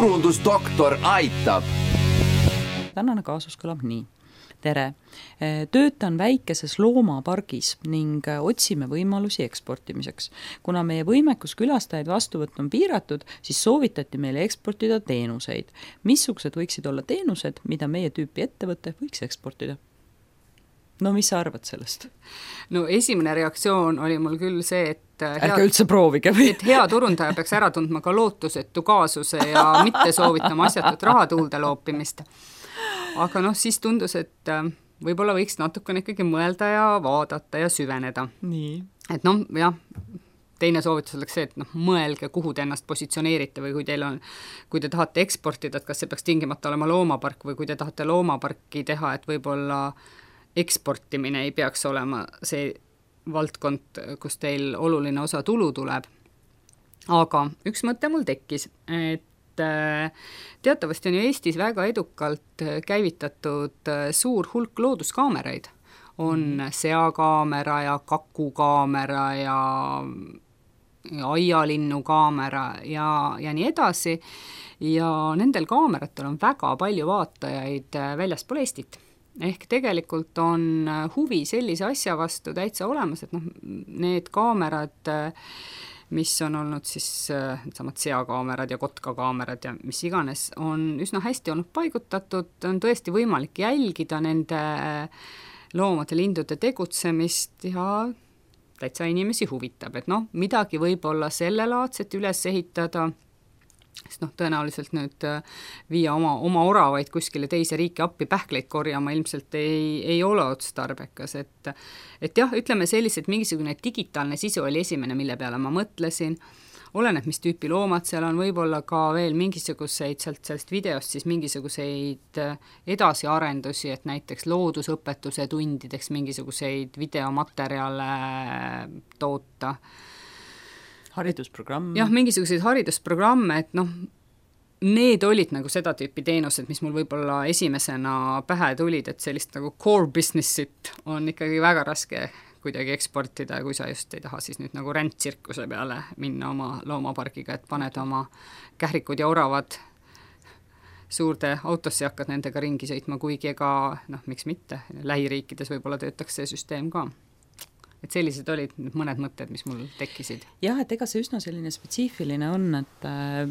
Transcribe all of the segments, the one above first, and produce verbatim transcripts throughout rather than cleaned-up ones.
turundusdoktor aitab. Tänane kaasus kõlab nii. Tere! Töötan väikeses loomapargis ning otsime võimalusi eksportimiseks. Kuna meie võimekus külastajaid vastuvõtt on piiratud, siis soovitati meile eksportida teenuseid. Missugused võiksid olla teenused, mida meie tüüpi ettevõte võiks eksportida? No mis sa arvad sellest? No esimene reaktsioon oli mul küll see, et ärge üldse proovige või? Et hea turundaja peaks ära tundma ka lootusetu kaasuse ja mitte soovitama asjatut rahatuulde loopimist. Aga noh, siis tundus, et võib-olla võiks natukene ikkagi mõelda ja vaadata ja süveneda. Nii. Et noh, jah, teine soovitus oleks see, et noh, mõelge, kuhu te ennast positsioneerite või kui teil on, kui te tahate eksportida, et kas see peaks tingimata olema loomapark või kui te tahate loomaparki teha, et võib-olla eksportimine ei peaks olema see valdkond, kus teil oluline osa tulu tuleb. Aga üks mõte mul tekkis, et teatavasti on ju Eestis väga edukalt käivitatud suur hulk looduskaameraid. On seakaamera ja kakukaamera ja, ja aialinnu kaamera ja, ja nii edasi. Ja nendel kaameratel on väga palju vaatajaid väljaspool Eestit. Ehk tegelikult on huvi sellise asja vastu täitsa olemas, et noh, need kaamerad, mis on olnud siis samad seakaamerad ja kotkakaamerad ja mis iganes, on üsna hästi olnud paigutatud, on tõesti võimalik jälgida nende loomade, lindude tegutsemist ja täitsa inimesi huvitab, et noh, midagi võib-olla sellelaadset üles ehitada, sest noh, tõenäoliselt nüüd viia oma, oma oravaid kuskile teise riiki appi pähkleid korjama ilmselt ei, ei ole otstarbekas, et, et jah, ütleme sellised, mingisugune digitaalne sisu oli esimene, mille peale ma mõtlesin, oleneb, mis tüüpi loomad seal on, võib-olla ka veel mingisuguseid sealt sellest videost siis mingisuguseid edasiarendusi, et näiteks loodusõpetuse tundideks mingisuguseid videomaterjale toota. Haridusprogramm. Jah, mingisuguseid haridusprogramme, et noh, need olid nagu seda tüüpi teenused, mis mul võib-olla esimesena pähe tulid, et sellist nagu core businessit on ikkagi väga raske kuidagi eksportida, kui sa just ei taha siis nüüd nagu rändtsirkuse peale minna oma loomapargiga, et paned oma kährikud ja oravad suurde autosse ja hakkad nendega ringi sõitma, kuigi ega, noh, miks mitte, lähiriikides võib-olla töötaks see süsteem ka. Et sellised olid mõned mõtted, mis mul tekkisid. Jah, et ega see üsna selline spetsiifiline on, et,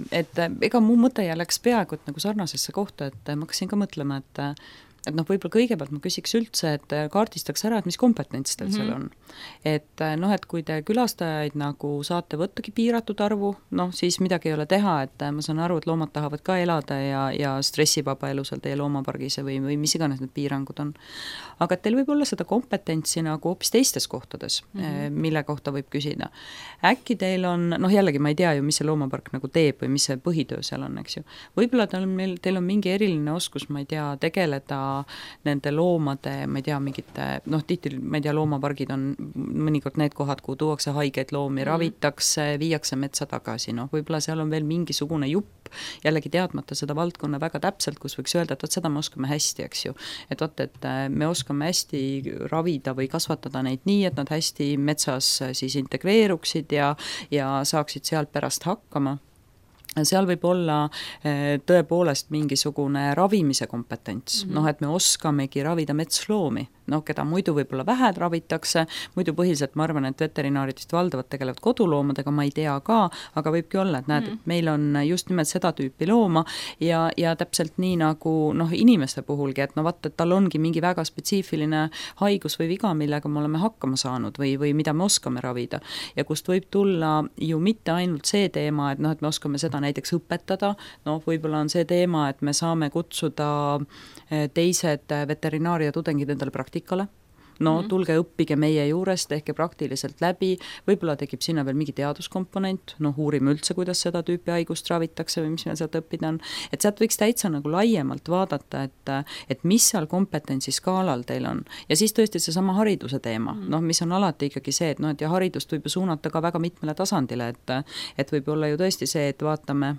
et ega mu mõte läks peaaegu et nagu sarnasesse kohta, et ma hakkasin ka mõtlema, et et noh, võib-olla kõigepealt ma küsiks üldse, et kaardistaks ära, et mis kompetents teil seal on. Et noh, et kui te külastajaid nagu saate võttagi piiratud arvu, noh, siis midagi ei ole teha, et ma saan aru, et loomad tahavad ka elada ja, ja stressivaba elu seal teie loomapargis või, või mis iganes need piirangud on. Aga et teil võib olla seda kompetentsi nagu hoopis teistes kohtades, mm-hmm. mille kohta võib küsida. Äkki teil on, noh jällegi ma ei tea ju, mis see loomapark nagu teeb või mis see põhitöö seal on, eks ju. Võib-olla teil on, meil, teil on mingi eriline oskus, ma ei tea, tegeleda nende loomade, ma ei tea, mingite, noh, tihti, ma ei tea, loomapargid on mõnikord need kohad, kuhu tuuakse haigeid loomi, mm. ravitakse, viiakse metsa tagasi, noh, võib-olla seal on veel mingisugune jupp, jällegi teadmata seda valdkonna väga täpselt, kus võiks öelda, et võt, seda me oskame hästi, eks ju. Et võt, et me oskame hästi ravida või kasvatada neid nii, et nad hästi metsas siis integreeruksid ja, ja saaksid sealt pärast hakkama. Seal võib olla tõepoolest mingisugune ravimise kompetents, mm-hmm. noh, et me oskamegi ravida metsloomi, noh, keda muidu võib-olla vähe ravitakse, muidu põhiliselt ma arvan, et veterinaarid vist valdavalt tegelevad koduloomadega, ma ei tea ka, aga võibki olla, et näed, mm-hmm. et meil on just nimelt seda tüüpi looma ja, ja täpselt nii nagu noh, inimeste puhulgi, et no vaata, et tal ongi mingi väga spetsiifiline haigus või viga, millega me oleme hakkama saanud või, või mida me oskame ravida ja kust võib tulla ju mitte ainult see teema, et noh, et me oskame seda näiteks õpetada, noh, võib-olla on see teema, et me saame kutsuda teised veterinaaria tudengid endale praktikale, no mm-hmm. tulge õppige meie juures, tehke praktiliselt läbi, võib-olla tekib sinna veel mingi teaduskomponent, noh, uurime üldse, kuidas seda tüüpi haigust ravitakse või mis meil sealt õppida on, et sealt võiks täitsa nagu laiemalt vaadata, et, et mis seal kompetentsi skaalal teil on. Ja siis tõesti see sama hariduse teema, mm-hmm. noh, mis on alati ikkagi see, et noh, et ja haridust võib ju suunata ka väga mitmele tasandile, et, et võib olla ju tõesti see, et vaatame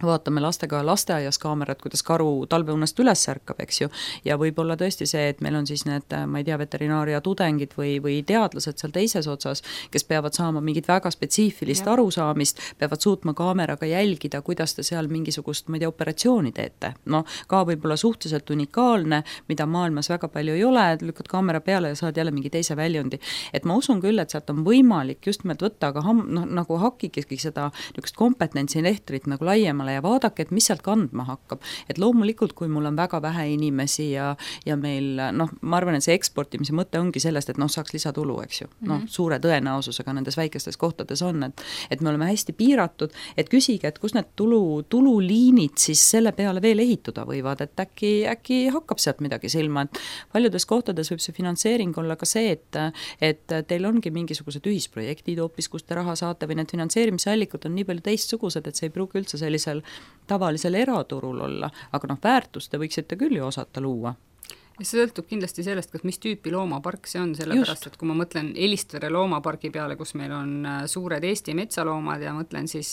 vaatame lastega lasteaias kaamerat, kuidas karu talveunest üles ärkab, eks ju, ja võib-olla tõesti see, et meil on siis need, ma ei tea, veterinaaria tudengid või, või teadlased seal teises otsas, kes peavad saama mingit väga spetsiifilist ja. arusaamist, peavad suutma kaameraga jälgida, kuidas te seal mingisugust, ma ei tea, operatsiooni teete. No ka võib-olla suhteliselt unikaalne, mida maailmas väga palju ei ole, lükkad kaamera peale ja saad jälle mingi teise väljundi. Et ma usun küll, et sealt on võimalik just nimelt võtta, aga ham, no, nagu hakkikski seda niisugust kompetentsi lehtrit nagu laiemale ja vaadake, et mis sealt kandma hakkab. Et loomulikult, kui mul on väga vähe inimesi ja, ja meil, noh, ma arvan, et see eksportimise mõte ongi sellest, et noh, saaks lisatulu, eks ju. Noh, mm-hmm. suure tõenäosusega nendes väikestes kohtades on, et, et me oleme hästi piiratud, et küsige, et kus need tulu, tululiinid siis selle peale veel ehituda võivad, et äkki, äkki hakkab sealt midagi silma, et paljudes kohtades võib see finantseering olla ka see, et, et teil ongi mingisugused ühisprojektid hoopis, kus te raha saate või need finantseerimisallikud on nii palju teistsugused, et see ei pruugi üldse sellisel tavalisel eraturul olla, aga noh, väärtust te võiksite küll ju osata luua. Ja see sõltub kindlasti sellest, kas mis tüüpi loomapark see on, sellepärast, et kui ma mõtlen Elistvere loomapargi peale, kus meil on suured Eesti metsaloomad ja mõtlen siis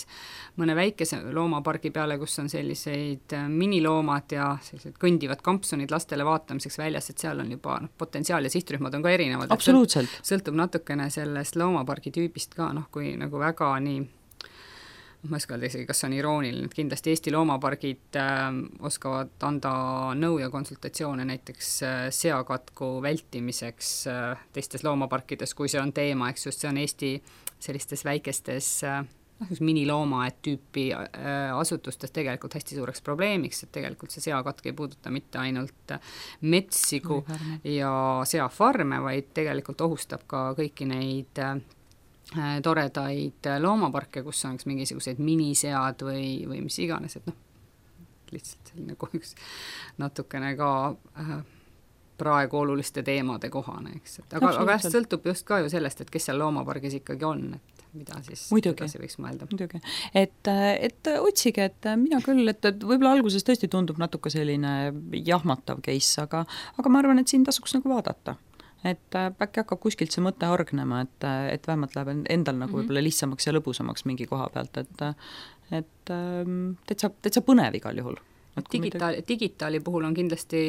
mõne väikese loomapargi peale, kus on selliseid miniloomad ja sellised kõndivad kampsunid lastele vaatamiseks väljas, et seal on juba no, potentsiaal ja sihtrühmad on ka erinevad. Absoluutselt. Sõltub natukene sellest loomapargi tüübist ka, noh, kui nagu väga nii ma eskalda isegi, kas on irooniline, et kindlasti Eesti loomapargid äh, oskavad anda nõu ja konsultatsioone näiteks äh, seakatku vältimiseks äh, teistes loomaparkides, kui see on teema, eks just see on Eesti sellistes väikestes äh, minilooma et tüüpi äh, asutustes tegelikult hästi suureks probleemiks, et tegelikult see seakatk ei puuduta mitte ainult metsigu ja seafarme, vaid tegelikult ohustab ka kõiki neid äh, toredaid loomaparke, kus on mingisugused minisead või, või mis iganes, et noh, lihtsalt selline üks natukene ka äh, praegu oluliste teemade kohane, eks. Et aga, aga sõltub just ka ju sellest, et kes seal loomapargis ikkagi on, et mida siis edasi võiks mõelda. Muidugi, et, et otsige, et mina küll, et, et võib-olla alguses tõesti tundub natuke selline jahmatav case, aga, aga ma arvan, et siin tasuks nagu vaadata. Et äkki hakkab kuskilt see mõte hargnema, et, et vähemalt läheb endal nagu võib-olla lihtsamaks ja lõbusamaks mingi koha pealt, et, et täitsa, täitsa põnev igal juhul. Digitaali, digitaali puhul on kindlasti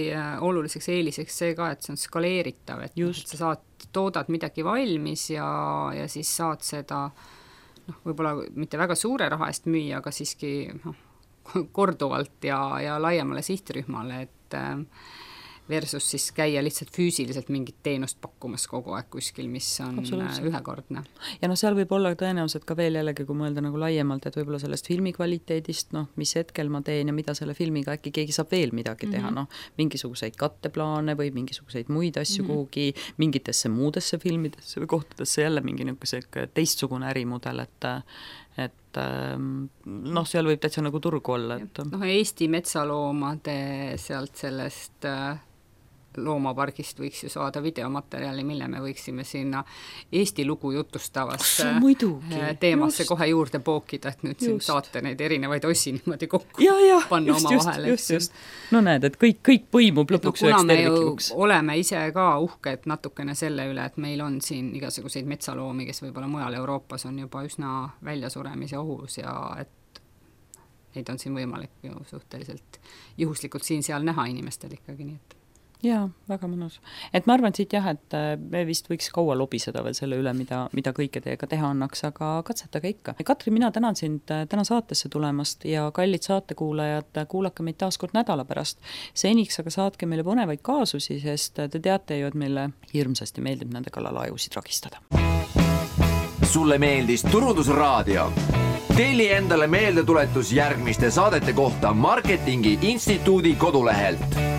oluliseks eeliseks see ka, et see on skaleeritav, et, et sa saad, toodad midagi valmis ja, ja siis saad seda noh, võib-olla mitte väga suure raha eest müüa, aga siiski noh, korduvalt ja, ja laiemale sihtrühmale, et versus siis käia lihtsalt füüsiliselt mingit teenust pakkumas kogu aeg kuskil, mis on ühekordne. Ja noh, seal võib olla tõenäoliselt ka veel jällegi, kui mõelda nagu laiemalt, et võib-olla sellest filmi kvaliteedist, noh, mis hetkel ma teen ja mida selle filmiga äkki keegi saab veel midagi teha, mm-hmm. noh, mingisuguseid katteplaane või mingisuguseid muid asju mm-hmm. kuhugi, mingitesse muudesse filmidesse või kohtadesse jälle mingi niisugune teistsugune ärimudel, et et noh, seal võib täitsa nagu turgu olla. Et noh, Eesti metsaloomade sealt sellest loomapargist võiks ju saada videomaterjali, mille me võiksime sinna Eesti lugu jutustavasse teemasse just. Kohe juurde pookida, et nüüd siin saate neid erinevaid ossi niimoodi kokku ja, ja, panna just, oma vahele. Just, just. No näed, et kõik, kõik põimub lõpuks üheks terviklikuks. Oleme ise ka uhked natukene selle üle, et meil on siin igasuguseid metsaloomi, kes võib-olla mujal Euroopas on juba üsna väljasuremise ohus ja et neid on siin võimalik ju suhteliselt juhuslikult siin-seal näha inimestel ikkagi, nii et jaa, väga mõnus. Et ma arvan siit jah, et me vist võiks kaua lobiseda veel selle üle, mida, mida kõike teiega teha annaks, aga katsetage ikka. Katri, mina tänan sind täna saatesse tulemast ja kallid saatekuulajad, kuulake meid taas kord nädala pärast. Seniks aga saatke meile põnevaid kaasusi, sest te teate ju, et meile hirmsasti meeldib nende kallal ajusid ragistada. Sulle meeldis Turundusraadio? Telli endale meeldetuletus järgmiste saadete kohta Marketingi Instituudi kodulehelt.